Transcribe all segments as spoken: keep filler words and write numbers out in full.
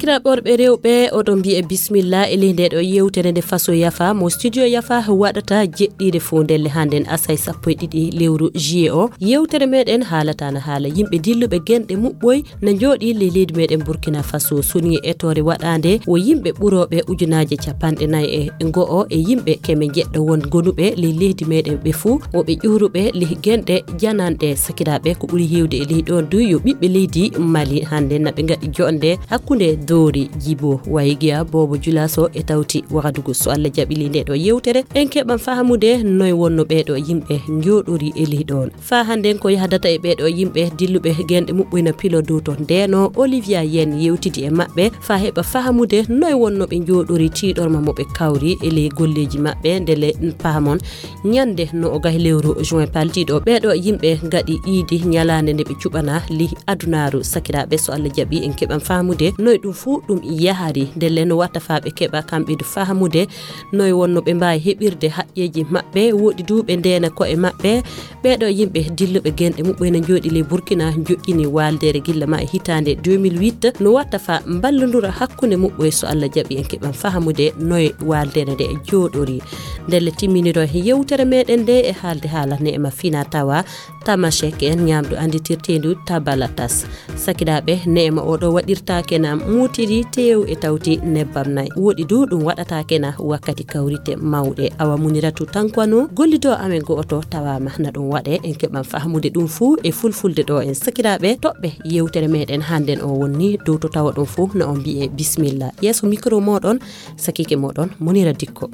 Sakiraaɓe worɓe, rewɓe, oɗon mbiye bismilla e ley nde ɗo yewtere nde Faso Yafa mo studio Yafa waɗata jeɗɗiire fof ndelle hannden asay sappo e ɗiɗi lewru juillet o. Yewtere meɗen haalata na haala yimɓe dilluɓe genɗe muɓɓoy na njooɗi ley leydi meɗen Burkina Faso. Soni e etoore waɗaande wo yimɓe ɓurooɓe ujunaaje capanɗe nayi e go'o e yimɓe keme jeɗɗo won gonuɓe ley leydi meɗen ɓe fuu wo ɓe ƴuuruɓe ley genɗe jananɗe. Sakiraaɓe, ko ɓuri heewde e ley ɗoon du yo ɓiɓɓe leydi Mali hannde na ɓe ngaɗi joɗnde hakkunde Doori Jibo Waygiya Boobo Julaso e tawti Wagadugu. So Allah jaɓi ley nde ɗo yewtere en keɓan fahamude noy wonno ɓee ɗo yimɓe njooɗori e ley ɗoon. Faa hannden ko yahdata e ɓee ɗo yimɓe dilluɓe genɗe muɓɓoyna pilo dow to ndeno Olivia Yen yewtidi e maɓɓe faa heɓa fahamude noy wonno ɓe njooɗori tiiɗorma mo ɓe kawri e ley golleeji maɓɓe ndele pahamon ñande no o gahi lewru juin paltiiɗo ɓee ɗo yimɓe ngaɗi iidi ñalaande nde ɓe cuɓana ley adunaaru. Sakiraaɓe, so Allah jaɓi en keɓan fahamude noy ɗum fuu ɗum yahari ndele no watta faa ɓe keɓa kamɓe du fahamude noy wonno ɓe mbaawi heɓirde haqqeeji maɓɓe woɗi du ɓe ndeena ko'e maɓɓe. Ɓee ɗo yimɓe dilluɓe genɗe muɓɓoy na njooɗi ley Burkina joƴƴini waaldeere gilla ma e hitaande deux mille huit no watta faa mballondura hakkunde muɓɓoy. So Allah jaɓi en keɓan fahamude noy waaldeere nde jooɗori. Ndelle timminiro e yewtere meɗen nde e haalde haala neema fina tawa tamashek en ñaamdu annditirteendu tabalatas. Sakiraaɓe, neema oɗo waɗirtaake na muutiri teew e tawti nebbam nayi. Woɗi du ɗum waɗataake na wakkati kawrite mawɗe. Awa Muniratu Tankwano, gollido amen go'oto tawaama na ɗum waɗe. En keɓan fahamude ɗum fuu e fulfulde ɗo en. Sakiraaɓe, toɓɓe yewtere meɗen hannden o wonni dow to tawa ɗum fuu na on mbiye bismilla. Yeeso micro moɗon, sakiike moɗon, Munira Dikko.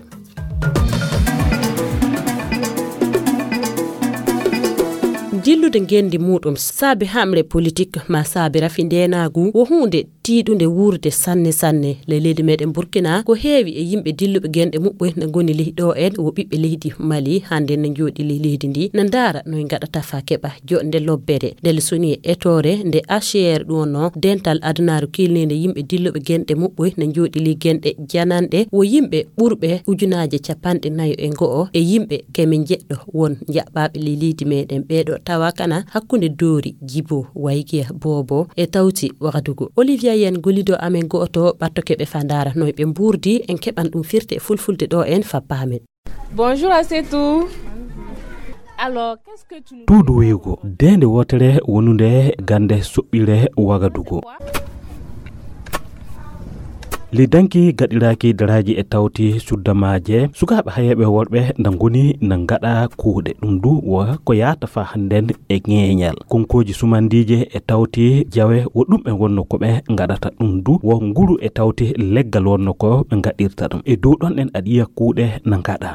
Dillude ngenndi muɗum saabe hamre politik ma saabe rafi ndeenaagu wo huunde tiiɗunde wuurde sanne sanne. Ley leydi meɗen Burkina ko heewi e yimɓe dilluɓe genɗe muɓɓoy na ngoni ley ɗo en wo ɓiɓɓe leydi Mali hannde na njooɗi ley leydi ndi na ndaara noy ngaɗata faa keɓa joɗnde lobbere. Ndelle soni e etoore nde H C R ɗum wonno dental adunaaru kiilniinde yimɓe dilluɓe genɗe muɓɓoy na njooɗi ley genɗe jananɗe wo yimɓe ɓurɓe ujunaaje capanɗe nayo e go'o e yimɓe keme jeɗɗo won jaɓɓaaɓe ley leydi meɗen ɓee ɗo tawa kana hakkunde Doori Jibo Waygiya Boobo e tawti Wagadugu. Olivia Yen gollido amen go'oto ɓattoke ɓe faa ndaara noy ɓe mbuurdi en keɓan ɗum firte e fulfulde ɗo en faa paamen. Bonjour à c'est tout. Alors, qu'est-ce que tu nous Tuudu wiigo deende wootere wonunde gannde soɓɓiire Wagadugu. Li danki gaɗiraaki daraaji e tawti suddamaaje sukaaɓe hayeeɓe worɓe nda ngoni na ngaɗa kuuɗe ɗum du wo ko yaata faa hannden e ŋeeñal konkooji sumandiije e tawti jawe wo ɗum ɓe wonno ko ɓe ngaɗata ɗum du wo nguru e tawti leggal wonno ko ɓe ngaɗirta ɗum e dow ɗon ɗen aɗa yiya kuuɗe na ngaɗa.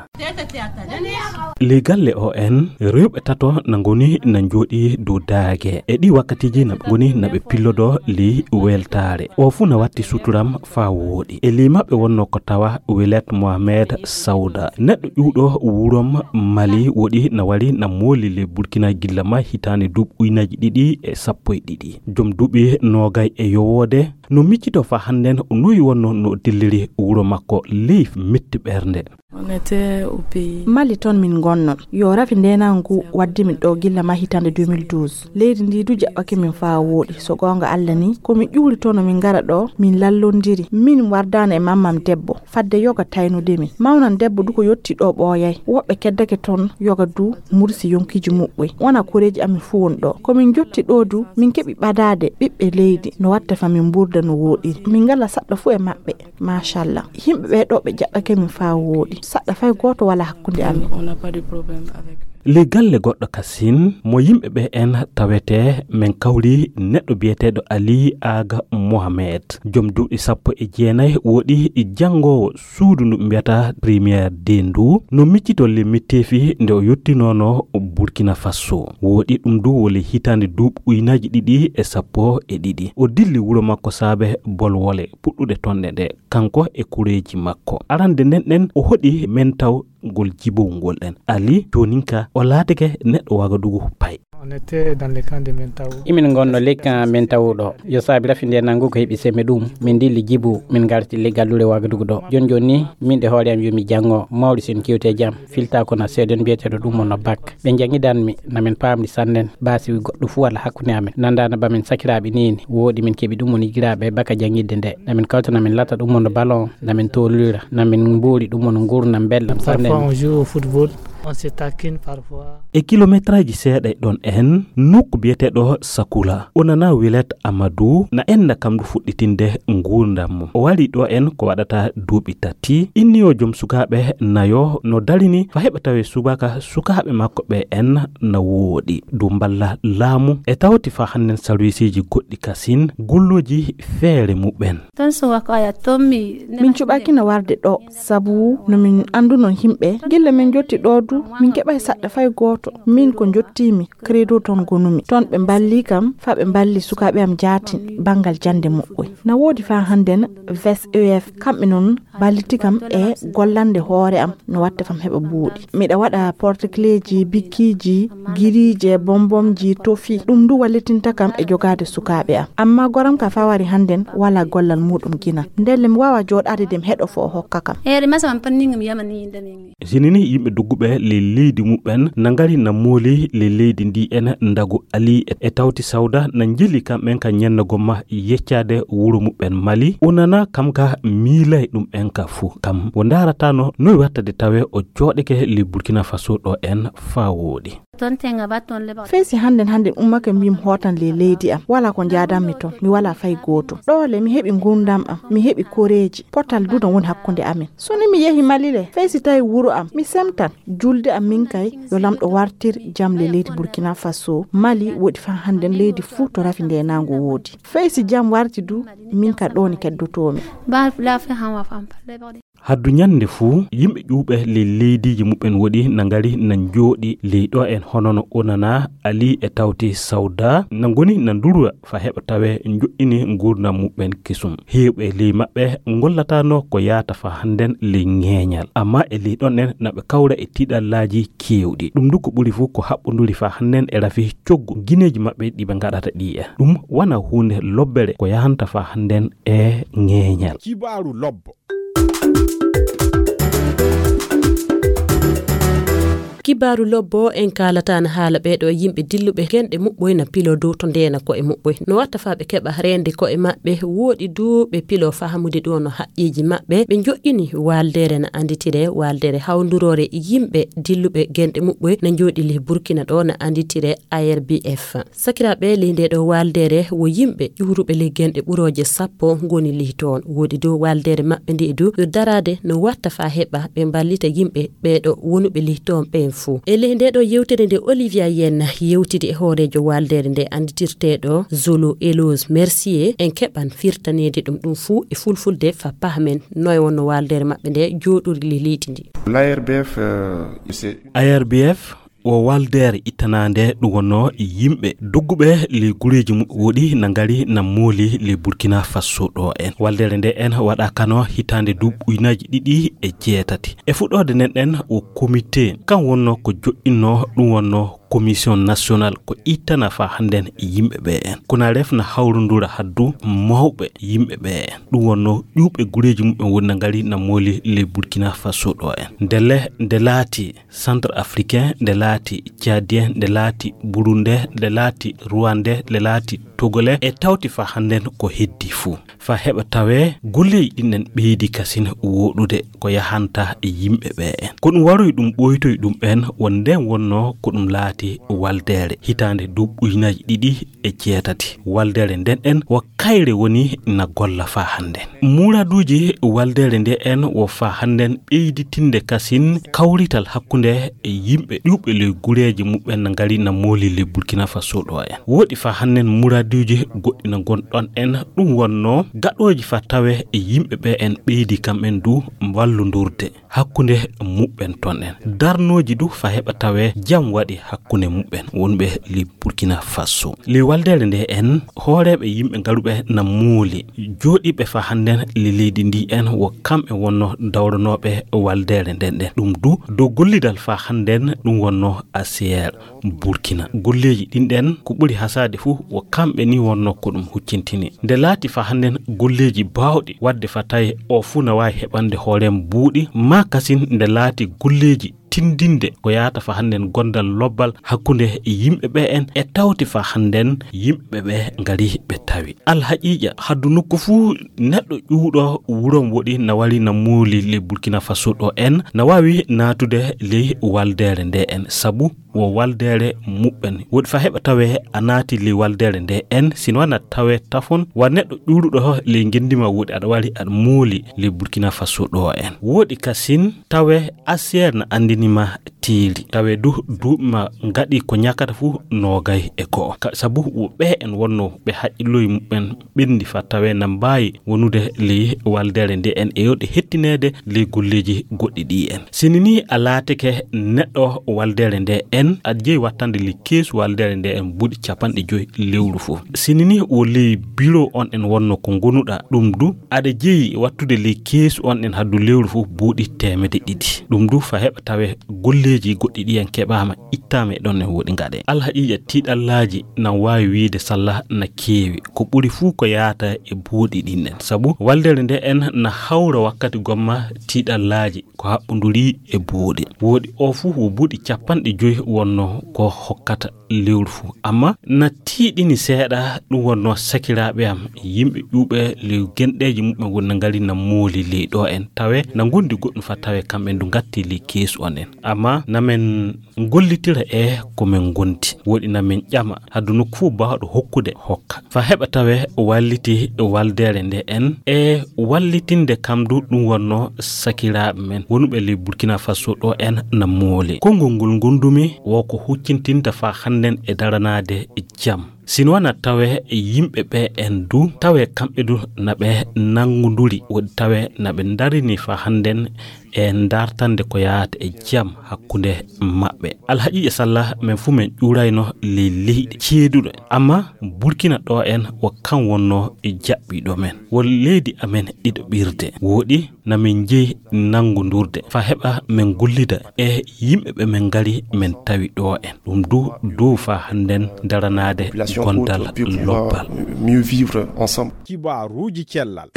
Ley galle o en rewɓe tato na ngoni na njooɗi dow daage e ɗi wakkatiiji na ɓe ngoni na ɓe pillodo ley weltaare o fuu na watti suturam faa wooɗi e ley maɓɓe wonno ko tawa Wilet Mohamed Sauda neɗɗo ƴuwɗo wurom Mali woɗi na wari na mooli ley Burkina gilla ma hitaande duuɓi ujunaaji ɗiɗi e sappo e ɗiɗi joom duuɓi noogay e yowoode no miccito faa hannden o noyi wonno no dilliri wuro makko ley metti ɓernde. On était au pays. Mali toon min ngonnon. Yo rafi ndeenaagu ngu waddi min ɗo gilla ma hitaande deux mille douze. Leydi ndi du jaɓɓake min faa wooɗi. So goonga Alla ni, ko min ƴuuri toon no min ngara ɗo, min lallondiri. Min wardaano e mammam debbo, fadde yoga taynude min. Mawnam debbo du ko yotti ɗo ɓooyay. Woɓɓe keddake toon yoga du mursi yonkiiji muɓɓoy. Wona koreeji amin fuu won ɗo. Ko min njotti ɗo du, min keɓi ɓadaade ɓiɓɓe leydi no watta fa min mburda no wooɗiri. Min ngala saɗɗo fuu e maɓɓe. Machallah. Yimɓe ɓee ɗo ɓe jaɓɓake min faa wooɗi. Saɗɗa fay gooto wala hakkunde amin. On n'a pas de problème avec. Ley galle goɗɗo kasin mo yimɓe ɓe en tawete men kawri neɗɗo biyeteeɗo Ali Aga Mohamed joom duuɓi sappo e jeenayi woɗi janngoowo suudu ndu ɓe mbiyata Première D ndu no miccito le mitteefi nde o yottinoono Burkina Faso woɗi ɗum du wole hitaande duuɓi ujunaaji ɗiɗi e sappo e ɗiɗi o dilli wuro makko saabe bolwole puɗɗude tonɗe nde kanko e kureeji makko arande nden ɗen o hoɗi men taw ngol jibowngol ɗen Ali jooninka o laatike neɗɗo Wagadugu pay. On était dans le camp de Mentao. Imin ngonno lekka men tawuɗo. Yo saabi rafi nde nangu ko heɓi seme ɗum. Min dilli Jibu, min ngarti le gallure Wagadugu ɗo. Jon jon ni, min ɗe hoore am yo mi janngo, mawɗi sen kewte jam. Filta ko na seeɗen mbiyeteeɗo ɗum on no bak. Ɓe jangidan mi, na min paamdi sannen. Basi wi goɗɗo fu wala hakkunde amen. Nandana ba min sakiraaɓe nini. Woɗi min keɓi ɗum on yigiraaɓe baka jangidde nde. Na min kawtana min lata ɗum on ballon, na min tolira, na min mbori ɗum on ngurnam belɗam sannen. Parfois on joue au football, on se taquine parfois. E kilometraaji seeɗa e ɗon en, nokku biyeteeɗo Sakula. O nana Wilet Amadou, na enna kam ndu fuɗɗitinde nguurndam mum. O wari ɗo en ko waɗata duuɓi tati. Inni o joom sukaaɓe nayo no darini fa heɓa tawe subaka sukaaɓe makko ɓe en na wooɗi. Ndu mballa laamu e tawti fa hannden sarwisiiji goɗɗi kasin gulluji feere muɓɓen. Ton so wako aya tommi. Min cuɓaaki no warde ɗo, sabu no min annduno yimɓe. Gilla min jotti ɗo du, min keɓay saɗɗa fay gooto. Min ko jottimi, credo ton gonumi. Ton ɓe mballi kam, fa ɓe mballi sukaaɓe am jaatin, banngal jannde muɓɓoy. Na woodi fa hannden, V S E F, kamɓe non balliti kam e gollande hoore am, no watta fam heɓa buuɗi. Miɗa waɗa porte-cléji, bikkiiji, giriije, bombomji, tofi. Ɗum ndu wallitinta kam e jogaade sukaaɓe am. Amma goram ka fa wari hannden, wala gollal muɗum gina. Ndelle mi waawa jooɗaade de mi heɗo fo o hokka kam. Ere masa man panni ngam yamani indami. Sinini yimɓe dogguɓe le leydi muɓɓen na ngari na mooli le leydi ndi en ndagu Ali e, e tawti sawda na njili kam en ka ñenna gomma yeccaade wuro muɓɓen Mali. O nana kam ka miilay ɗum en ka fu. Kam o ndaratano noy wattade tawe o jooɗeke le Burkina Faso ɗo en fa wooɗi. Ton tenga ba ton le ba. Fay si hannden hannden ummake mbiyam hootan le leydi am. Wala ko njaadanmi ton. Mi wala fay gooto. Ɗo le mi heɓi ngurndam am. Mi heɓi koreeji. Potal du no woni hakkunde amen. So ni mi yehi Mali le. Fay si tawi wuro am. Mi semtan. Julde am min kay. Yo lamɗo wartir jam le leydi Burkina Faso. Mali woɗi fa hannden leydi fuu to rafi nde nango woodi. Fay si jam warti du. Min ka ɗo ni keddotoomi. Ba la fe han wa fam. Haddu ñande fuu, yimɓe ƴuuɓe ley leydiiji muɓɓen woɗi na ngari na njooɗi ley ɗo en hono no Onana, Ali e tawti Sawda, na ngoni na ndurwa fa heɓa tawe njoɗɗini nguurndam muɓɓen kesum. Heewɓe ley maɓɓe ngollataano ko yaata fa hannden ley ŋeeñal. Amma e ley ɗon en na ɓe kawra e tiiɗallaaji keewɗi. Ɗum du ko ɓuri fuu ko haɓɓonduri fa hannden e rafi coggu gineeji maɓɓe ɗi ɓe ngaɗata ɗi en. Ɗum wana huunde lobbere ko yahanta fa hannden e ŋeeñal. Kibaaru lobbo. Kibaaru lobbo en kaalataana haala ɓeeɗo yimɓe dilluɓe genɗe muɓɓoy na pilo dow to ndeena ko'e muɓɓoy. No watta faa ɓe keɓa reende ko'e maɓɓe wooɗi duu ɓe pilo fahamude ɗoo no haqqeeji maɓɓe. Ɓe njoƴƴini waaldeere na annditire waaldeere hawnduroore yimɓe dilluɓe genɗe muɓɓoy na njooɗi lih Burkina ɗoo na annditire A R B F. Sakiraaɓe ley ndee ɗoo waaldeere wo yimɓe ƴuuruɓe ley genɗe ɓurooje sappo ngoni ley toon. Woodi dow waaldeere maɓɓe nde du yo daraade no watta faa heɓa ɓe mballita yimɓe ɓee ɗoo wonuɓe ley toon ɓeen fuu. E ley ndee ɗoo yewtere nde Olivia Yen yewtidi e hooreejo waaldeere nde annditirteeɗo Zolo Eloge Mercier en keɓan firtaneede ɗum ɗum fuu e fulfulde faa pahamen noy wonno waaldeere maɓɓe nde jooɗori ley leydi ndi. L'A R B F, euh, c'est A R B F wo waaldeere ittanaande ɗum wonnoo yimɓe dogguɓe ley gureeji muɓɓe woɗi na ngari na mooli ley Burkina Faso ɗoo en. Waaldeere nde en waɗa kano hitaande duuɓi ujunaaji ɗiɗi e jeetati. E fuɗɗoode nden ɗen wo komite kan wonnoo ko joɗɗinnoo ɗum wonnoo commission national ko ittana faa hannden yimɓe ɓe en. Kono ref na hawrundura haddu mawɓe yimɓe ɓe en. Ɗum wonnoo ƴuuɓe gureeji muɓɓen woni na ngari na mooli ley Burkina Faso ɗoo en. Ndelle nde laati Centrafricain, nde laati Tchadien, nde laati Burundais, nde laati Rwandais, nde laati Togolais, e tawti faa hannden ko heddi fuu. Faa heɓa tawee golleeji ɗin en ɓeydi kasin wooɗude ko yahanta yimɓe ɓe en. Ko ɗum waroyi ɗum ɓooytoyi ɗum ɓen won nden wonnoo ko ɗum laati waaldeere hitaande duuɓi ujunaaji ɗiɗi e jeetati. Waaldeere nden en wo kayre woni na golla faa hannden. Muraduuji waaldeere nde en wo faa hannden ɓeyditinde kasin kawrital hakkunde e yimɓe ƴuuɓe ley gureeji muɓɓen na ngari na mooli ley Burkina Faso ɗoo en. Wooɗi faa hannden muraduuji goɗɗi na ngon ɗon en ɗum wonnoo gaɗooji faa tawee e yimɓe ɓe en ɓeydi kam en du wallondurde. hakkunde muɓɓen ton en. Darnooji du fa heɓa tawee jam waɗi hakkunde muɓɓen wonɓe ley Burkina Faso. Ley waldeere nde en, hooreeɓe yimɓe ngaruɓe na mooli, jooɗiiɓe fa hannden ley leydi ndi en, wo kamɓe wonno dawranooɓe waldeere nden ɗen. Ɗum du, dow gollidal fa hannden ɗum wonno A C R Burkina. Golleeji ɗin ɗen, ko ɓuri hasaade fuu, wo kamɓe ni wonno ko ɗum huccintini. Nde laati fa hannden golleeji baawɗi waɗde fa tawi o fuu na waawi heɓande hoore mum buuɗi, maa kasin nde laati golleeji tindinde ko yaata fa hannden gondal lobbal hakkunde yimɓe ɓe en e tawti fa hannden yimɓe ɓe ngari ɓe tawi. Alhaqiiqa, haddu nokku fuu neɗɗo ƴuwɗo wuro woɗi na wari na mooli ley Burkina Faso ɗo en, na waawi naatude ley waldeere nde en, sabu wo waldeere muɓɓen. Woɗi fa heɓa tawee a naati ley waldeere nde en, sino wana tawee tafon, wa neɗɗo ƴuuruɗo ley ngenndi ma woɗi aɗa wari aɗa mooli ley Burkina Faso ɗo en. Woɗi kasin tawee A C R na anndini ma tiiri. Tawee du duuɓi ma ngaɗi ko ñakata fuu noogay e go'o. Ka, sabu wo ɓe en wonno ɓe haqqilloy muɓɓen ɓenndi fa tawee na mbaawi wonude ley waldeere nde en e yo ɗe hettineede ley golleeji goɗɗi ɗi en. Sini ni a laatike neɗɗo waldeere nde en, aɗa jeyi wattande ley keesu waldeere nde en buuɗi capanɗe joyi lewru fof. Sini ni wo ley biro on en wonno ko ngonuɗa ɗum du, aɗa jeyi wattude ley keesu on en haddu lewru fof buuɗi teemedde ɗiɗi. Ɗum du fa heɓa tawee golleeji goɗɗi ɗi en keɓaama ittaama e ɗon en woɗi ngaɗe. Alhaqiiqa tiiɗallaaji na waawi wiide salla na keewi. Ko ɓuri fuu ko yaata e buuɗi ɗin en. Sabu waldeere nde en na hawra wakkati gomma tiiɗallaaji ko haɓɓunduri e buuɗi. Woɗi o fuu wo buuɗi capanɗe joyi wonno ko hokkata lewru fuu. Amma na tiiɗini seeɗa ɗum wonno sakiraaɓe am, yimɓe ƴuuɓe ley genɗeeji muɓɓen woni na ngari na mooli ley ɗo en. Tawee na ngondi goɗɗum fa tawee kamɓe ndu ngatti ley keesu on en. Amma na men ngollitira e ko men ngondi. Woɗi na men ƴama haddu nokku fuu baawɗo hokkude hokka. Fa heɓa tawee walliti waldeere nde en e wallitinde kam du ɗum wonno sakiraaɓe men wonuɓe ley Burkina Faso ɗo en na mooli. Konngol ngol ngondumi wo ko huccintinta fa hannden e daranaade jam. Sino wana tawee yimɓe ɓe en du, tawee kamɓe du na ɓe nanngunduri, woɗi tawee na ɓe ndarini fa hannden e ndartande ko yaata e jam hakkunde maɓɓe. Alhaqiiqa salla men fuu men ƴuurayno ley leyɗe ceeduɗe. Amma Burkina ɗo en wo kan wonno e jaɓɓiiɗo men. Wo leydi amen ɗiɗo ɓirde. Woɗi na min njeyi nanngundurde. Fa heɓa min gollida e yimɓe ɓe min ngari min tawi ɗo en. Ɗum du dow fa hannden daranaade gondal lobbal. Mieux vivre ensemble. Kibaaruuji cellal.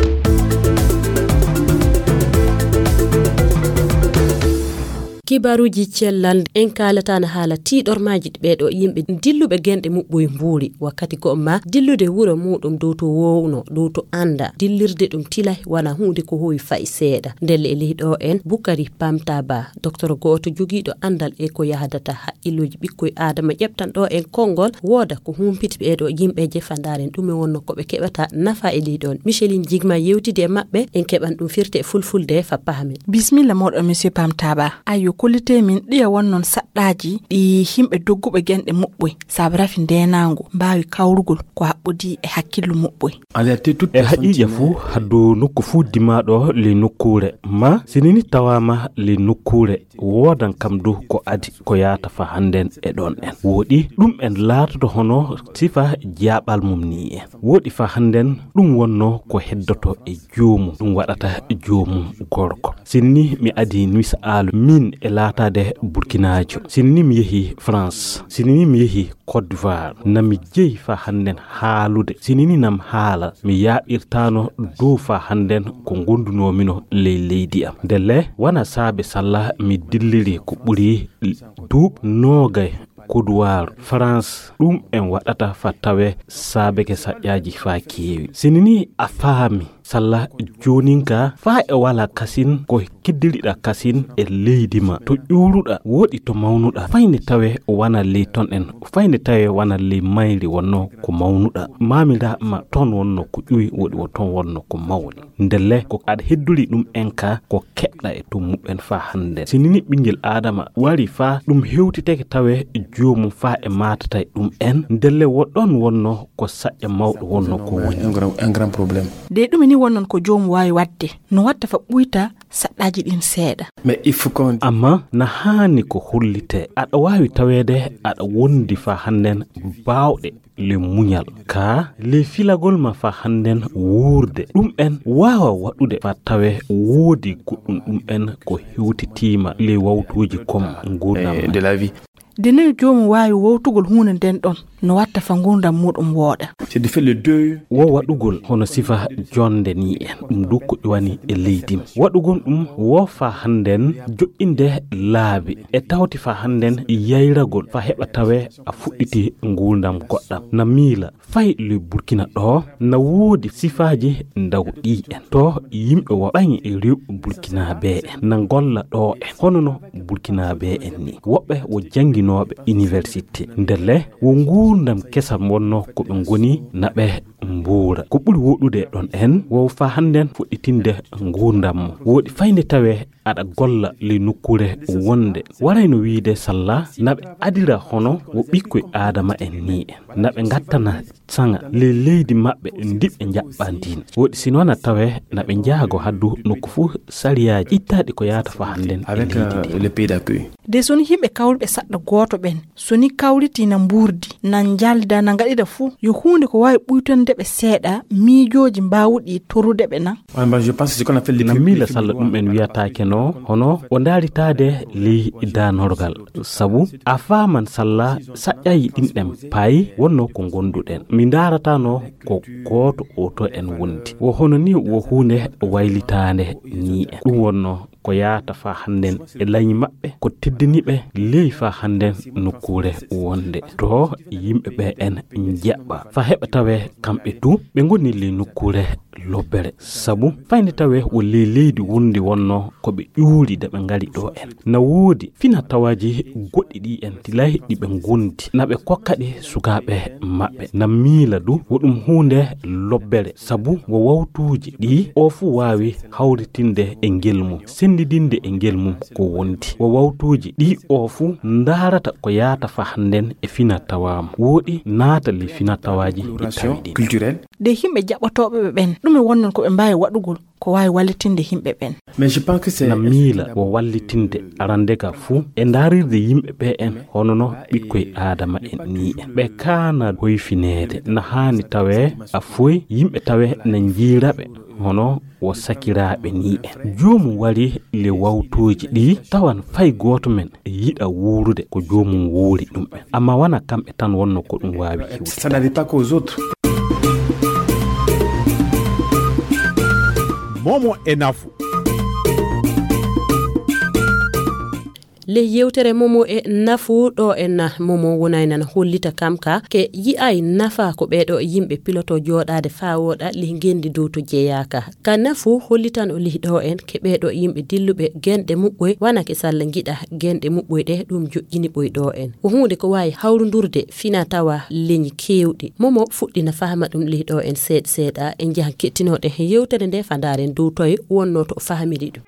Kibaaruuji cellal, en kaalata na haala tiiɗormaaji ɓee ɗo yimɓe dilluɓe genɗe muɓɓoy mbuuri. Wakkati ko ma dillude wuro muɗum dow to wowno, dow to annda. Dillirde ɗum tilay wana huunde ko howi fayi seeɗa. Ndelle e ley ɗo en, Bukari Pamta Ba, docteur gooto jogiiɗo anndal e ko yahdata haqqilluuji ɓikkoy Aadama, ƴeɓtan ɗo en konngol, wooda ko humpiti ɓee ɗo yimɓe je fa ndaaren ɗume wonno ko ɓe keɓata nafa e ley ɗon. Micheline Jigma yewtidi e maɓɓe, en keɓan ɗum firte e fulfulde fa pahamen. Bismilla moɗon, monsieur Pamta Ba. Ayyo, kollite min ɗiya wonnon saɗɗaaji ɗi yimɓe dogguɓe genɗe muɓɓoy, sabu rafi ndeenaango mbaawi kawrugol ko haɓɓodii e hakkillu muɓɓoy. E haqiiqa fuu, haddu nokku fuu dimaaɗo ley nokkuure, ma sinini tawaama ley nokkuure, woodan kam du ko adi ko yaata fa hannden e ɗon en. Woɗi ɗum en laatoto hono sifa jaaɓal mum ni en. Woɗi fa hannden ɗum wonno ko heddoto e joomum, ɗum waɗata joomum gorko. Sinini mi adi misaalu min e laataade Burkinaajo. Sinini mi yehi France. Sinini mi yehi Côte d'Ivoire. Na mi jeyi fa hannden haalude. Sinini nam haala, mi yaaɓirtaano dow fa hannden ko ngondunoomi no ley leydi am. Ndelle, wana saabe salla mi dilliri ko ɓuri duuɓi noogay Kodowaaru, France, ɗum en waɗata fa tawe saabeke saƴƴaaji fa keewi. Sinini a faami, salla joonin ka, fa e wala kasin ko kiddiriɗa kasin e leydi ma. To ƴuuruɗa, woɗi to mawnuɗa. Fayne tawe wana ley ton en, fayne tawe wana ley mayri wonno ko mawnuɗa. Maamira ma ton wonno ko ƴuwi, woɗi wo ton wonno ko mawni. Ndelle ko aɗa heddori ɗum en ka ko keɓɗa e tummuɓen fa hannden. Sinini ɓinngel Aadama wari fa ɗum hewtiteke tawe joomum fa e maatata e ɗum en, ndelle wo ɗon wonno ko saƴƴa mawɗo wonno ko woni. Un grand, un grand problème. Ɗe ɗum ni wonnon ko joomum waawi waɗde, no watta fa ɓuyta saɗɗaaji ɗin seeɗa. Mais il faut qu'on... Amma na haani ko hollitee, aɗa waawi taweede aɗa wondi fa hannden baawɗe le muñal, ka le filagol ma fa hannden wuurde. Ɗum en waawa waɗude fa tawe woodi goɗɗum ɗum en ko hewtitiima le wawtuuji kom nguurndam. Eh, de la vie. De noy joomum waawi wowtugol huunde nden ɗon, no watta fa nguurndam muuɗum wooɗa? C'est de faire le deuil. Wo waɗugol hono sifa jonde ni en, ɗum du ko ƴuwani e leydi. Waɗugol ɗum wo fa hannden joƴƴinde laabi e tawti fa hannden yayragol fa heɓa tawe a fuɗɗiti nguurndam goɗɗam. Na miila fay le Burkina ɗo na woodi sifaaji ndaw ɗi en. To yimɓe wo ɓaŋi e rew Burkinaaɓe en na golla ɗo en, hono no Burkinaaɓe en ni. Woɓɓe wo jannginooɓe université. Ndelle wo nguurndam kesam wonno ko ɓe ngoni na ɓe mbuura. Ko ɓuri woɗude ɗon en, wo fa hannden fuɗɗitinde nguurndam mo. Woɗi fayde tawe aɗa golla ley nokkuure wonde. Waray no wiide salla na ɓe adira hono wo ɓikkoy Aadama en ni en. Na ɓe ngattana saŋa ley leydi maɓɓe ndi ɓe njaɓɓa ndin. Woɗi sino na tawe na ɓe njaago haddu nokku fuu sariyaaji ittaaɗi ko yaata fa hannden e Avec, leydi euh, ndin. Le pays d'accueil. De so ni yimɓe kawruɓe saɗɗa gooto ɓen, so ni kawriti na mbuurdi, na njalda, na ngaɗira fuu, yo huunde ko waawi ɓuytonde ɓe seeɗa miijooji mbaawuɗi torude ɓe na? Ouais, ben, je pense que c'est ce qu'on appelle les... Na miila salla ɗum en wiyataake no, hono o ndaaritaade ley danorgal. Sabu a faaman salla saƴƴayi ɗin ɗen payi wonno ko ngonduɗen. Mi ndaarata no ko gooto o to en wondi. Wo hono ni wo huunde waylitaande ni en. Ɗum wonno ko yaata fa hannden e lañi maɓɓe, ko teddini ɓe ley fa hannden nokkuure wonde to yimɓe ɓe en njaɓɓa. Fa heɓa tawe kamɓe du ɓe ngoni ley nokkuure lobbere. Sabu fayde tawe wo ley leydi wondi wonno ko ɓe ƴuuri de ɓe ngari ɗo en. Na woodi fina tawaaji goɗɗi ɗi en tilay ɗi ɓe ngondi. Na ɓe kokka ɗi sukaaɓe maɓɓe. Na miila du wo ɗum huunde lobbere. Sabu wo wawtuuji ɗi o fuu waawi hawritinde e ngel mum, senndidinde e ngel mum ko wondi. Wo wawtuuji ɗi o fuu ndaarata ko yaata fa hannden e fina tawaamu. Woɗi naata le fina tawaaji ɗi tawi ɗin. Culturelle. De yimɓe jaɓotooɓe ɓe ɓen, ɗume wonnon ko ɓe mbaawi waɗugol ko waawi wallitinde yimɓe ɓen? Mais je pense que c'est... Na miila wo wallitinde arande ka fuu e ndaarirde yimɓe ɓe en hono no ɓikkoy Aadama en ni en. Ɓe kaana hoyfineede na haani tawe a foy yimɓe tawe na njiira ɓe hono wo sakiraaɓe ni en. Joomum wari le wawtooji ɗi tawan fay gooto men yiɗa wuurude ko joomum wuuri ɗum en. Amma wana kamɓe tan wonno ko ɗum waawi hiwde. Ça n'arrive pas qu'aux autres. Momo e nafu. Ley yewtere Momo e nafu ɗo en, Momo wonay nan hollita kam ka ke yi'ay nafa ko ɓeeɗo yimɓe piloto jooɗaade faa wooɗa ley ngenndi dow to jeyaaka. Ka nafu hollitan o ley ɗo en ke ɓeeɗo yimɓe dilluɓe genɗe muɓɓoy wana ke salla ngiɗa genɗe muɓɓoy ɗe ɗum joƴƴini ɓoy ɗo en. Ko huunde ko waawi hawrundurde fina tawa leñi keewɗi. Momo fuɗɗina fahma ɗum ley ɗo en seeɗa seeɗa e njaha keɗtinooɗe yewtere nde fa ndaaren dow toye wonno to o fahmiri ɗum.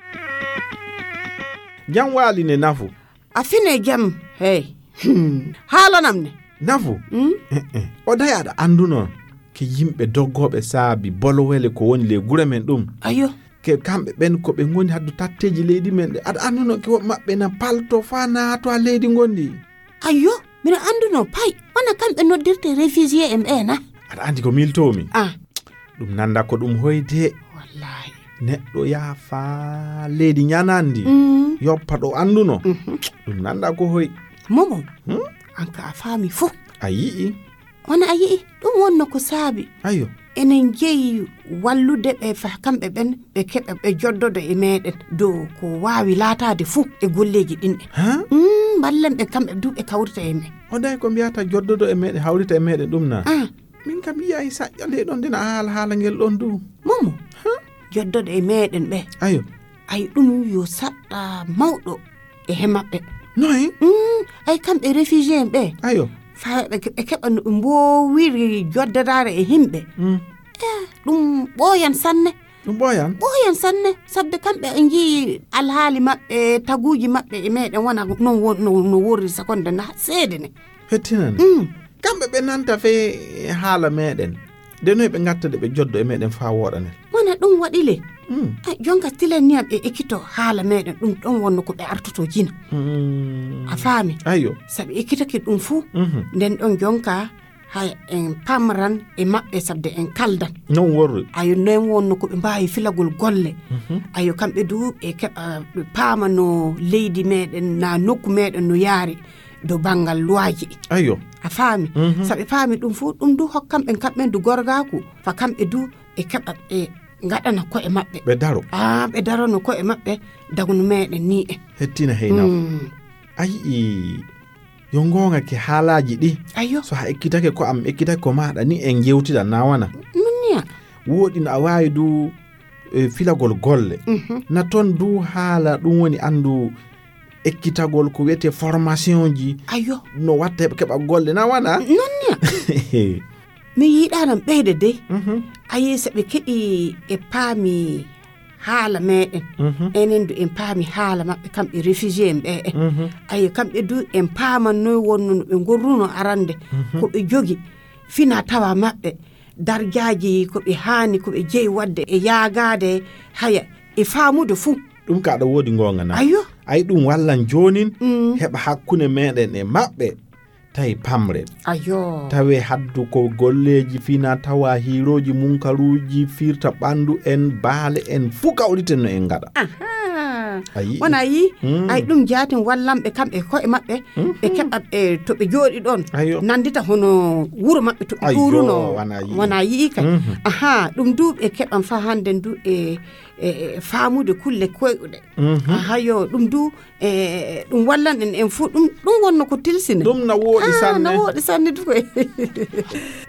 Jam waali ne nafu. A fine jam, hey. Hmm. Haalanam ne. Nafu. Hmm? Eh, eh. O day aɗa annduno ke yimɓe doggooɓe saabi bolowele ko woni ley gure men ɗum. Ayo. Ke kamɓe ɓen ko ɓe ngoni haddu tatteeji leydi men ɗe. Aɗa annduno ke woɓɓe maɓɓe na palto faa naato a leydi ngondi. Ayo, mino annduno pay. Wona kamɓe noddirte réfugié en ɓe na? Aɗa anndi ko miiltoomi? Ah. Ɗum nannda ko ɗum hoyde. Wallahi. Neɗɗo yaha faa leydi ñanandi. Mm. Yoppa ɗo annduno. Mhm. Ɗum nannda ko hoy. Momo, hmm? An ka a faami fof. A yi'i? Wona a yi'i? Ɗum wonno ko saabi. Ayo. Enen njeyi wallude ɓe fa kamɓe ɓen ɓe keɓa ɓe joddodo e meɗen dow ko waawi laataade fuu e golleeji ɗin. Ha? Mm, mballen ɓe kamɓe du ɓe kawrita e men. O day ko mbiyata joddodo e meɗen hawrita e meɗen ɗum na? Ah. Min kam yi'ay saƴƴa nde ɗon ndena haala haala ngel ɗon du. Momo, ha? Joddoɗo e meɗen ɓe. Ayo. Ay ɗum yo saɗɗa mawɗo e he maɓɓe. Noy? Mm, ay kamɓe réfugié en ɓe. Ayo. Faa ɓe ke-, ɓe keɓa no ɓe mboowiri joddadaare e himɓe. Mm. Eh, ɗum ɓooyan sanne. Ɗum ɓooyan? Ɓooyan sanne. Sabde kamɓe ɓe njiyi alhaali maɓɓe, taguuji maɓɓe e meɗen wona non won-, no, no worri sekonde na seede ne. Hettinan. Mm. Kamɓe ɓe nanta fey haala meɗen. Nde noy ɓe ngatta de ɓe joddo e meɗen faa wooɗanel? Wona ɗum waɗi le. Mm. A, jonka tilen niyam e ekkito haala meɗen ɗum ɗon wonno ko ɓe artoto jina. Mm. A faami? Ayo. Saɓe ekkitake ɗum fuu, mhm, nden ɗon jonka hay en pamran e maɓɓe sabde en kaldan. Non worri. Ayo, non wonno ko ɓe mbaawi filagol golle. Mhm. Ayo, kamɓe du ɓe keɓa, ɓe paama no leydi meɗen, na nokku meɗen no yaari do banngal luwaaji. Ayo. A faami? Mhm. Saɓe paami ɗum fuu, ɗum du hokkan ɓen kamɓen du gorgaaku. Fa kamɓe du ɓe keɓa ɓe ngaɗana ko'e maɓɓe. Ɓe daro. Ah, ɓe darono ko'e maɓɓe dagno meɗen ni en. Hettina heyna. Mm. A yi'i yo ngoonga ke haalaaji ɗi. Ayo. So a ekkitake ko am, ekkitake ko maaɗa ni en jewtida na wana. Non niya. Wooɗi no a waawi du, e, filagol golle. Mhm. Na ton du haala ɗum woni anndu ekkitagol ko wiyetee formation ji. Ayo. No watta heɓa keɓa golle na wana? Non niya. Mi yiɗanan ɓeyde dey. Mhm. Ayi, so ɓe keɗi e paami haala meɗen. Mhm. Enen du en paami haala maɓɓe kamɓe réfugié en ɓe. Mhm. Ayi, kamɓe du en paaman noy wonno no ɓe ngorruno arande. Mhm. Ko ɓe jogi fina tawa maɓɓe. Darjaaji ko ɓe haani, ko ɓe jeyi waɗde e yaagaade haya e faamude fuu. Ɗum ka aɗa woodi ngoonga na? Ayo. Ay ɗum wallan joonin, mm, heɓa hakkunde meɗen e maɓɓe tawi pamren. Ayo. Tawe haddu ko golleeji fina tawa hiirooji munkaruuji firta ɓanndu en, baale en, fuu kawriten no en ngaɗa. Aha. A yi'i? Wona yi, mm, ay ɗum jaatin wallanɓe kamɓe ko'e maɓɓe, mhm, ɓe keɓa, e, to ɓe jooɗi ɗon, ayo, nanndita hono wuro maɓɓe to ɓe, ayo, kuuruno. Wona yi. Wona yi'i kay. Mhm. Aha, ɗum du ɓe keɓan fa hannden du e, e, e faamude kulle koyɗuɗe. Mhm. Aha, yo, ɗum du, e, ɗum wallan en, en fuu, ɗum, ɗum wonno ko tilsine. Ɗum na wooɗi. Ah, sanne. Na wooɗi sanne du koy.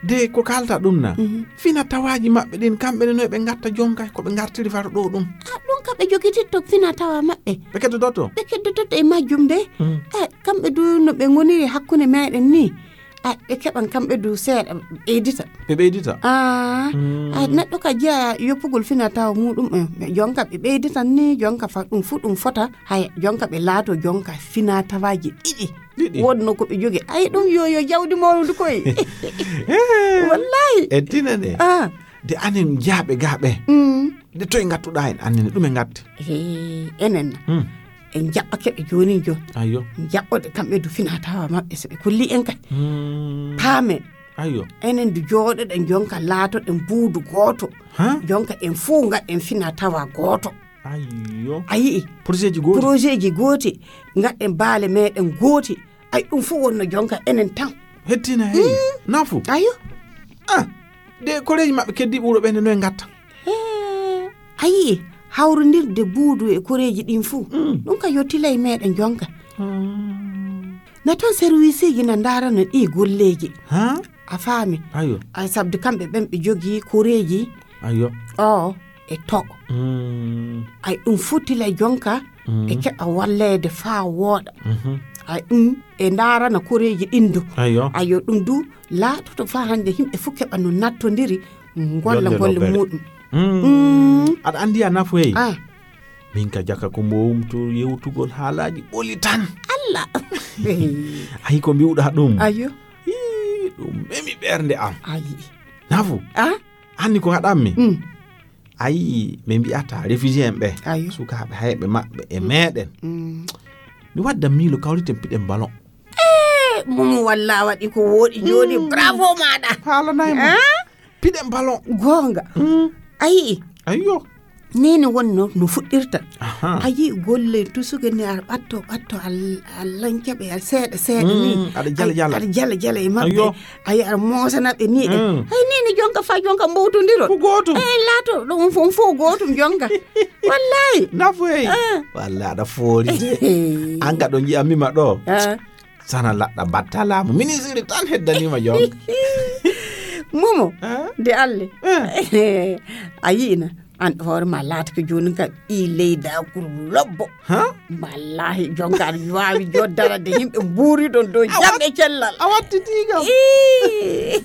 De ko kalta ɗum na? Mhm. Fina tawaaji maɓɓe ɗin, kamɓe ne noy ɓe ngatta jonka, ko ɓe ngartiri faro ɗo ɗum? Ah, ɗum ka ɓe jogititto fina tawa maɓɓe. Ɓe keddoto? Ɓe keddoto e majjum de. Mm. Eh, kamɓe du no ɓe ngoniri hakkunde meɗen ni. Ah, ɓe keɓan kamɓe du seeɗa, ɓe ɓeydita. Ɓe ɓeydita? Ah, mm, ah, neɗɗo ka jeya yoppugol fina tawa muɗum en. Jonka ɓe ɓeyditan ni, jonka fa ɗum fu ɗum fota. Haya, jonka ɓe laato jonka fina tawaaji ɗiɗi. Ɗiɗi. Wonno ko ɓe jogi. Ay, ɗum yo, yo jawdi mawnudu koy. Eh. Wallahi. E dina ne. Ah. De anen jaaɓe gaaɓe. Mm. De toy ngattuɗa en annene ɗum e ngatte. Eh, enen. Hmm. En jaɓɓake ɓe joonin jooni. Ayo. Jaɓɓoɗe kamɓe du fina tawa maɓɓe so ɓe kolli en kay. Hmm. Paamen. Ayo. Enen du jooɗoɗen jonka laatoɗen buudu gooto. Ha? Jonka en fuu ngaɗen fina tawa gooto. Ayo. A yi'i? Projet ji gooti. Projet ji gooti. Ngaɗen baale meɗen gooti. Ay, ɗum fuu wonno jonka enen tan. Hettina hey. Mm. Nafu. Ayo. Ah, de koreeji maɓɓe keddiiɓe wuro ɓe ne noy ngatta? Hee, a yi'i, hawrondirde buudu e koreeji ɗin fuu. Mm. Ɗum ka yottilay meɗen jonka. Mm. Na toon serviceeji na ndaarana ɗi golleeji. Ha? A faami? Ayo. Ay, sabde kamɓe ɓen ɓe jogii koreeji. Ayo. O, e to. Mm. Ay, ɗum fottilay jonka, mm, e keɓa walleede faa wooɗa. Mhm. Ay, ɗum e ndaarana koreeji ɗin du. Ayo. Ayo, ɗum du laatoto faa hannde yimɓe fof keɓa no nattondiri, ngolla golle muɗum. Mm. Mm. Aɗa anndi a nafoyey? Ah. Min ka jaka ko mbowum to yewtugol haalaaji ɓoli tan. Allah. Ayi ko mbi'uɗaa ɗum? Ayo. Ii, ɗum memi ɓernde am. Ayi. Nafu? Ah? Anni ko ngaɗammi? Mm. Ayi, ɓe mbi'ata réfugié en ɓe. Ayo. Sukaaɓe hayɓe maɓɓe e, mm, meɗen. Mm. Mi wadda miilo kawriten piɗen ballon. Eh, Mumu, walla a waɗi ko wooɗi jooni. Mm. Bravo maɗa. Haalanay mo. Ah? Piɗen ballon. Goonga. Mm. A yi'i? Ayyo. Ni ne wonno no fuɗɗirta. Aha. A yi'i golle tusuge ne ar ɓatto, ɓatto al-, al lancaɓe al seeɗa, seeɗa ni. Mm, aɗa jala, ay, jala. Aɗa jala, jala e maɓɓe. Ayyo. Ay, aɗa moosana ɓe ni ɗe. Mm. Ay, ni ne jonka fa jonka mbowtondiro. Ko gootum. Eh, laato ɗum fof, fof gootum jonka. Wallahi. Nafoyey. Ah. Wallahi, aɗa foori de. An ka ɗo nji'ammi ma ɗo. Ah. Sana laɗɗa battalaamu. Ministre tan heddanima jonka. Momo, ah? De Alle. Ah. A yi'ina. An hoore ma laata ko jooni ka ɓii leydakuru lobbo. Ha? Wallahi, jonka aɗa waawi joddara de yimɓe mbuuri ɗon dow jam e cellal. A wattiti kam. Ii.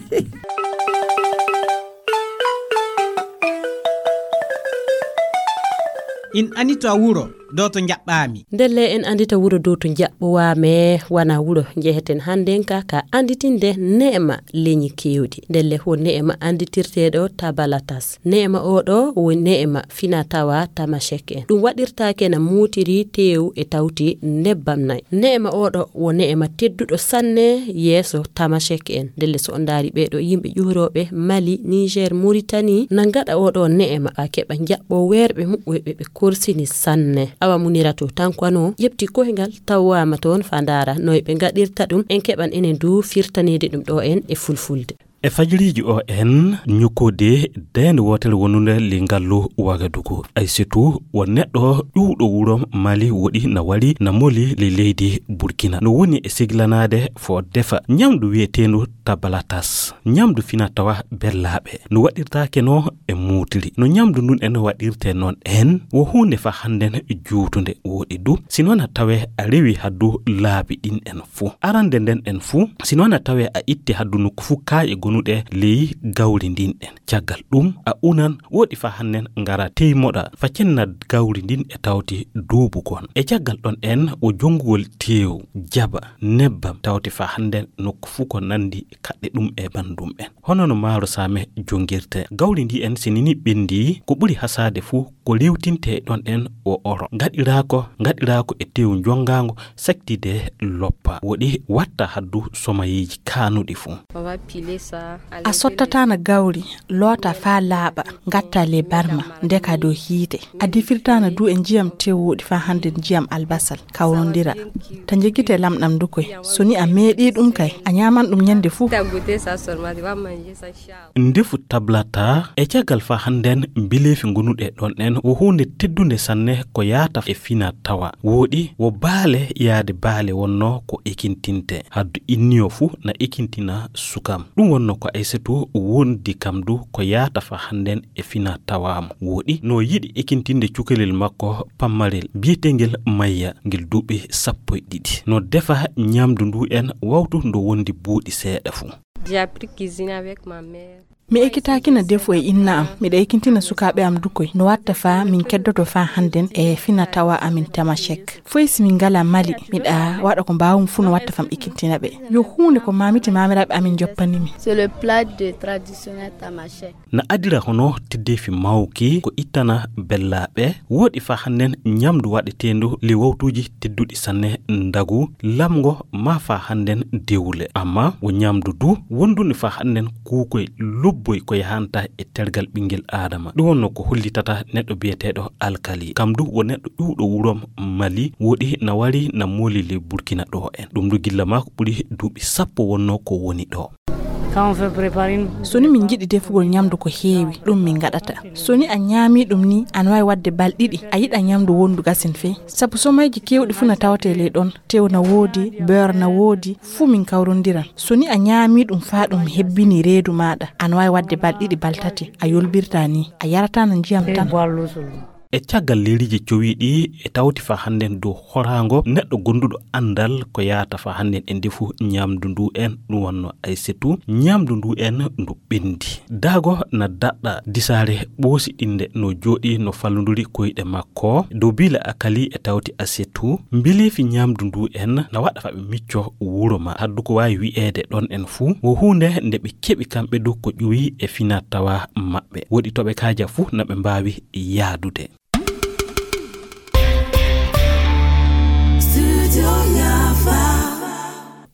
In anita wuro. ɗo to njaɓɓaami. Ndelle en anndita wuro dow to njaɓɓowaame, wona wuro njeheten hannden ka, ka annditinde neema leñi keewɗi. Ndelle ko neema annditirteeɗo Tabalatas. Neema oo ɗo wo neema fina tawa Tamashek en. Ɗum waɗirtaake na muutiri teewu e tawti nebbam nay. Neema oo ɗo wo neema tedduɗo sanne yeeso Tamashek en. Ndelle so on ndaari ɓee ɗo yimɓe ƴuurooɓe Mali, Niger, Mauritanie, na ngaɗa oo ɗo neema, haa keɓa njaɓɓo weerɓe muɓɓoyɓe ɓe korsini sanne. Awa Muniratu Tankwano ƴeɓti koyngal tawaama toon faa ndaara noy ɓe ngaɗirta ɗum. En keɓan enen du firtaneede ɗum ɗo en e fulfulde. E fajiriiji o en ñukkode deende wootere wonunde le ngallu Wagadugu. Aysitu wo neɗɗo ƴuwɗo wuro Mali woɗi na wari na moli le leydi Burkina. No woni e siglanaade fo defa ñamdu wiyeteendu tabalatas. Ñamdu fina tawa bellaaɓe. No waɗirtaake no e muutiri. No ñamdu ndun en waɗirte noon en wo huunde fa hannden juutunde woɗi du. Si noon a tawe a rewi haddu laabi ɗin en fuu. Arande nden en fuu, si noon a tawe a itti haddu nokku fuu kaaƴe gonuɗe ley gawri ndin en. Caggal ɗum, a unan woɗi fa hannden ngara teymoɗa fa cenna gawri ndin e tawti duubugon. E caggal ɗon en wo jongugol teewu, jaba, nebbam tawti fa hannden nokku fuu ko nandi kaɗɗe ɗum e banndum en. Hono no maaro saame jongirte. Gawri ndi en si nini ɓendi ko ɓuri hasaade fuu ko rewtinte ɗon en o oro. Ngaɗiraako, ngaɗiraako e teewu jongaango saktide loppa. Woɗi watta haddu somayeeji kaanuɗi fuu. A sottatana gawri, loota faa laaɓa, ngatta le barma, ndeka dow hiite. A defirtana du e njiyam tewuɗi faa hannden njiyam albasal, kawrondira. Ta njegite lamɗam du koy. So ni a meeɗi ɗum kay, a ñaaman ɗum ñande fuu. Ndefu tablata e caggal fa hannden mbileefi gonuɗe ɗon en wo huunde teddunde sanne ko yaata e fina tawa. Woɗi wo baale yaade baale wonno ko ekintinte. Haddu inniyo fuu na ekintina sukam. Ɗum wonno ko Aysatu wondi kam du ko yaata fa hannden e fina tawaamo. Woɗi no yiɗi ekintinde cukalel makko pammarel biyeteengel Mayya ngel duuɓi sappo e ɗiɗi. No defa ñamdu ndu en wawtu ndo wondi buuɗi seeɗa fuu. J'ai appris cuisine avec ma mère. Mi ekitaakina defu e inna am, miɗa ekintina sukaaɓe am du koy. No watta fa min keddoto fa hannden e fina tawa amin Tamashek. Foy si min ngala Mali, miɗa waɗa ko mbaawum fuu no watta fam ekintina ɓe. Yo huunde ko mamiti mamiraaɓe amin joppani mi. C'est le plat de traditionnel Tamashek. Na adira hono teddeefi mawki ko ittana bellaaɓe, woɗi fa hannden ñamdu waɗeteendu ley wawtuuji tedduɗi sanne ndagu, lamngo ma fa hannden dewle. Amma wo ñamdu du wondunde fa hannden kuukoy lobboy ko yahanta e tergal ɓinngel Aadama. Ɗum wonno ko hollitata neɗɗo biyeteeɗo Alkali. Kam du wo neɗɗo ƴuwɗo wurom Mali, woɗi na wari na mooli ley Burkina ɗo en. Ɗum du gilla maako ɓuri duuɓi sappo wonno ko woni ɗo. So ni min njiɗi defugol ñamdu ko heewi, ɗum min ngaɗata. So ni a ñaami ɗum ni, ana waawi waɗde bal ɗiɗi, a yiɗa ñamdu wondu gasin fey. Sabu somayji keewɗi fuu na tawatee ley ɗon. Tew na woodi, beurre na woodi, fuu min kawrondiran. So ni a ñaami ɗum faa ɗum hebbini reedu maaɗa, ana waawi waɗde bal ɗiɗi, bal tati, a yolbirtaa ni, a yarataa no njiyam tan. E caggal leydiiji cowiiɗi e tawti fa hannden dow horaango neɗɗo gonduɗo anndal ko yaata fa hannden e ndefu ñamdu ndu en, ɗum wonno Aysetu, ñamdu ndu en ndu ɓendi. Daago na daɗɗa disaare ɓoosiɗinde no jooɗi no fallonduri koyɗe makko. Dow biila Akali e tawti Asetu, mbileefi ñamdu ndu en na waɗa fa ɓe micco wuro ma. Haddu ko waawi wi'eede ɗon en fuu, wo huunde nde ɓe keɓi kamɓe du ko ƴuwi e fina tawa maɓɓe. Woɗi to ɓe kaaja fuu na ɓe mbaawi yaadude.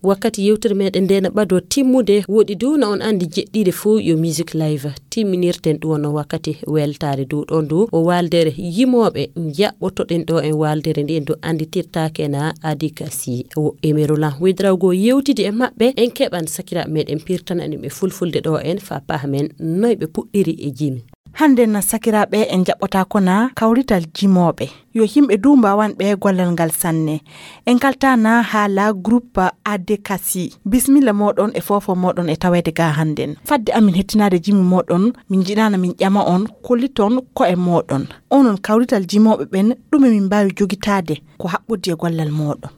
Wakkati yewtere meɗen nde na ɓado timmude, woɗi du na on andi jeɗɗiɗe fof yo Music Live. Timminirten ɗum wonno wakkati weltaare du ɗon du o waaldere yimooɓe jaɓɓotoɗen ɗo en waaldere nde en du anditirtaake na Adikasi. O Emerolan Wedrawgo yewtidi e maɓɓe, en keɓan sakiraaɓe meɗen pirtana ɗum e fulfulde ɗo en fa paha men noy ɓe puɗɗiri e jimi. Hannde na sakiraaɓe en jaɓɓotaako na kawrital jimooɓe. Yo yimɓe du mbaawan ɓe gollal ngal sanne. En kaltaa na haala groupe Adekasi. Bismilla mooɗon e foofo mooɗon e taweede ga hannden. Fadde amin hettinaade jimi mooɗon, min njiɗaana min ƴama on, kolliton ko'e mooɗon. Onon kawrital jimooɓe ɓen, ɗume min mbaawi jogitaade ko haɓɓoddi e gollal mooɗon?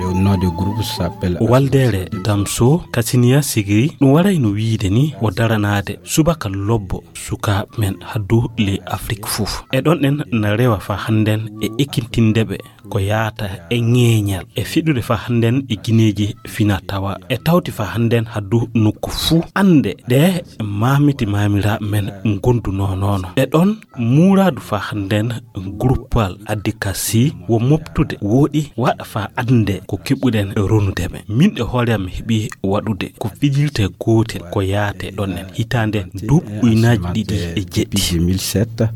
Le nom de groupe s'appelle Waldeere Damso Kasiniya Sigiri, ɗum waray no wiide ni o daranaade subaka lobbo sukaaɓe men haddu ley Afrik fof. E ɗon en na rewa fa hannden e ekintinde ɓe ko yaata e ŋeeñal e fiɗude fa hannden e gineeji fina tawa e tawti fa hannden haddu nokku fuu annde ɗe maamiti maamiraaɓe men ngondunoo noono. E ɗon muuraadu fa hannden gruppal addi ka si wo moftude wooɗi waɗa fa annde ko keɓuɗen ronude ɓe. Min e hoore am mi heɓi waɗude ko fijirte gootel ko yaate ɗon en hitaande duuɓi ujunaaji ɗiɗi e jeɗɗi.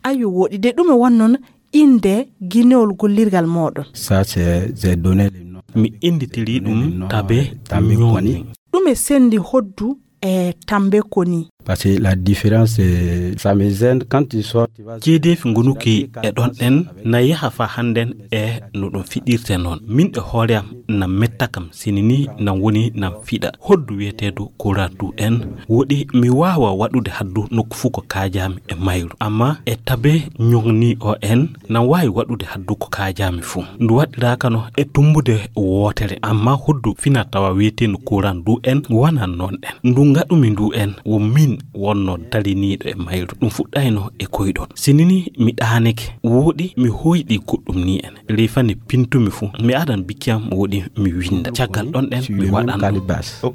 Ayo wooɗi de ɗum e won noon innde ginewol gollirgal mooɗon. Ça, c'est, j'ai donné le nom. Mi innditiri ɗum Tabe Ñooni. Ɗum e senndi hoddu e Tambe Koni. Parce que la différence, c'est, ça me gêne quand tu sors, tu vas... Ceedeefi ngonuki e ɗon en na yaha fa hannden e no ɗum fiɗirte noon. Min e hoore am na metta kam sini ni nan woni nan fiɗa. Hoddu wiyeteedu Kora du en woɗi mi waawa waɗude haddu nokku fuu ko kaajaami e mayru. Amma e Tabe Ñooni o en nan waawi waɗude haddu ko kaajaami fuu. Ndu waɗiraaka no e tummbude wootere, amma hoddu fina tawa wiyeteendu Kuran du en wanan noon en. Ndu ngaɗumi ndu en wo min wonno dariniiɗo e mayru. Ɗum fuɗɗayno e koyɗol. Sini ni mi ɗaanike, wooɗi mi hoyɗi goɗɗum ni en. Ley fani pintumi fuu, mi adan bikki am wooɗi mi winnda. Caggal ɗon en mi waɗan ɗum.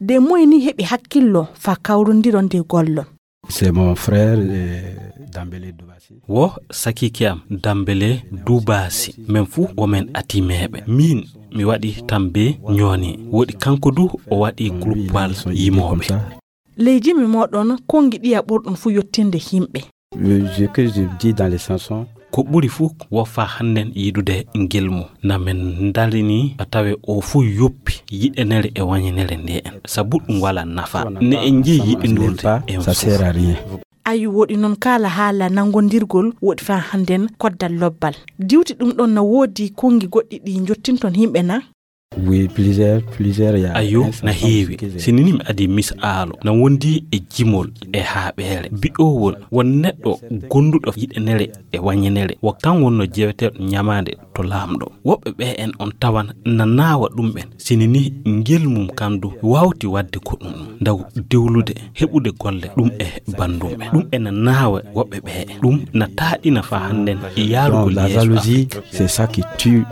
De moy ni heɓi hakkillo fa kawrondiron de gollon? C'est mon frère, euh, Dambélé Doubassi. Wo sakiike am Dambélé Doubassi. Men fuu wo men atimeeɓe. Min mi waɗi Tambe Ñooni. Woɗi kanko du o waɗi gruppal yimooɓe. Ley jimi mooɗon konngi ɗiya ɓurɗon fuu yottinde yimɓe? Le jeu que je dis dans les chansons. Ko ɓuri fuu wo fa hannden yiɗude ngilmu. Na men ndarini a tawe o fuu yoppi yiɗenere e wañenere nde en. Sabu ɗum wala nafa. Ne en jeyi yiɗindurde en fuu. Ayu woɗi noon kala haala nanngondirgol woɗi fa hannden koddal lobbal. Diwti ɗum ɗon na woodi konngi goɗɗi ɗi njottinton yimɓe na? Oui, plusieurs, plusieurs, il y a... Ayo, na heewi. Sini ni mi adi mis aalo na wondi e jimol e haaɓeere bi'owol won neɗɗo gonduɗo yiɗenere e wañenere wo kan wonno jeweteeɗo ñamaande to laamɗo. Woɓɓe ɓe en on tawan na naawa ɗum ɓen sini ni ngel mum kandu wawti wadde ko ɗum ndaw dewlude heɓude golle ɗum e bandum ɓen. Ɗum ena naawa woɓɓe ɓe en. Ɗum na taaɗina fa hannden e yaarugol yeeso Afrique. C'est ça qui tue.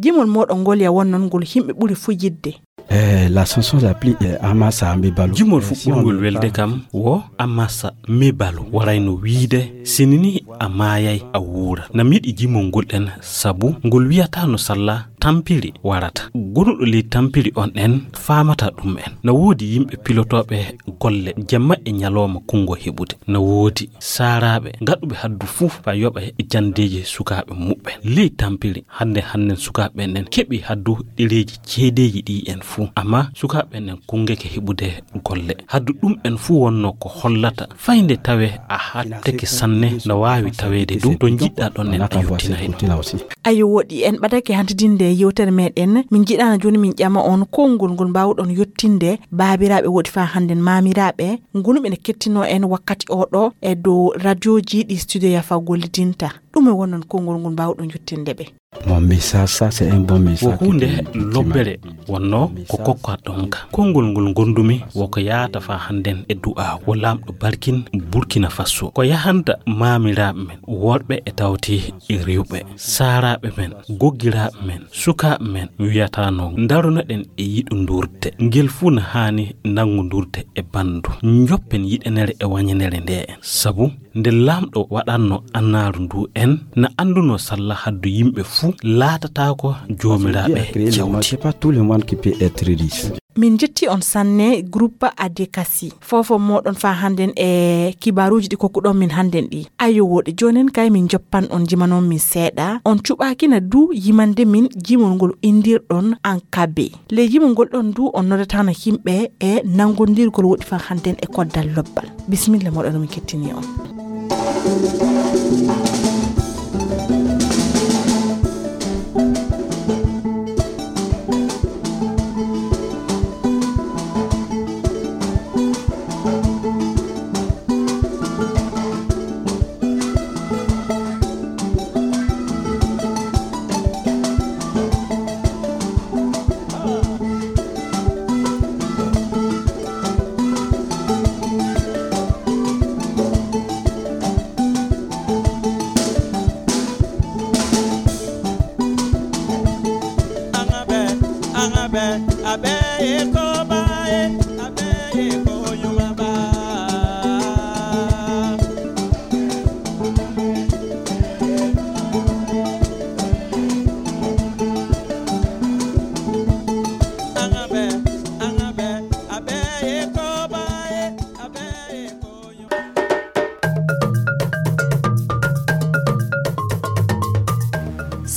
Jimol mooɗon ngol ya won noon ngol yimɓe ɓuri fuu yiɗde. Eh, la chanson la plus, eh, amasa ambe balo. Jimol fuu ɓurngol welde kam wo amasa me balo. Waray no wiide sinini a maayay a wuura. Na miɗi jimol ngol ɗen sabu ngol wiyata no salla tampiri warata. Gonuɗo ley tampiri on ɗen faamata ɗum en. Na woodi yimɓe pilotooɓe golle jamma e ñalooma kunngo heɓude. Na woodi saaraaɓe gaɗuɓe haddu fuu fa yoɓa e janndeeji sukaaɓe muɓɓen. Ley tampiri hannde hannden sukaaɓe ɓen keɓi haddu ɗereeji ceedeeji ɗi en fuu. Amma sukaaɓe ɓen kunngeke heɓude golle. Haddu ɗum en fuu wonno ko hollata fayde tawe a hatteke sanne no waawi taweede du to njiɗɗa ɗon en a yottinayno. Ayo woɗi en ɓadake hantidinde yewtere meɗen min jiɗano joni min ƴama on konngol ngol mbawɗon yottinde baabiraaɓe woɗi fa hannden maamiraaɓe. Ngonu ɓe ne kettinoo en wakkati oo ɗoo e dow radioji ɗi studio yafa gollidinta. Ɗum e wonnon konngol ngol mbaawɗon yottinde ɓe. Mon message, ça, c'est un bon message. Wo huunde lobbere wonnoo ko kokkaɗon ka. Konngol ngol ngondumi wo ko yaata fa hannden e du'aawu. Wo laamɗo barkin Burkina Faso. Ko yahanta maamiraaɓe men, worɓe e tawti e rewɓe, saaraaɓe men, goggiraaɓe men, sukaaɓe men, mi wiyata no ndarunoɗen e yiɗundurde. Ngel fuu na haani nanngundurde e banndu. Njoppen yiɗenere e wañenere nde en. Sabu nde laamɗo waɗanno annaaru ndu en na annduno salla haddu yimɓe fuu laatataako joomiraaɓe jawdi. C'est pas tout le monde qui peut être riche. Min njetti on sanne groupe Adekasi. Fofo moɗon fa hannden e kibaruuji ɗi kokkuɗon min hannden ɗi. Ayo woɗi joonin kay min joppan on jimanon min seeɗa. On cuɓaakina du yimande min jimol ngol indirɗon an kabe. Ley jimol ngol ɗon du on noddatano yimɓe e nanngondirgol woɗi fa hannden e koddal lobbal. Bisimilla moɗon min kettini on.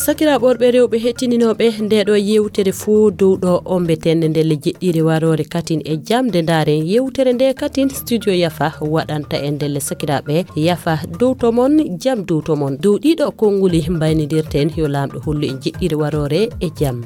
Sakiraaɓe worɓe, rewɓe, hettininooɓe ndeeɗo yeewtere fuu dow ɗo ombeten ndelle jeɗɗiire waroore katin e jam. Nde ndaaren yeewtere nde katin, studio Yafa waɗanta en ndelle. Sakiraaɓe, Yafa dow to mon, jam dow to mon, dow ɗiɗo konnguli mbaynidirten. Yo Laamɗo hollu en jeɗɗiire waroore e jam.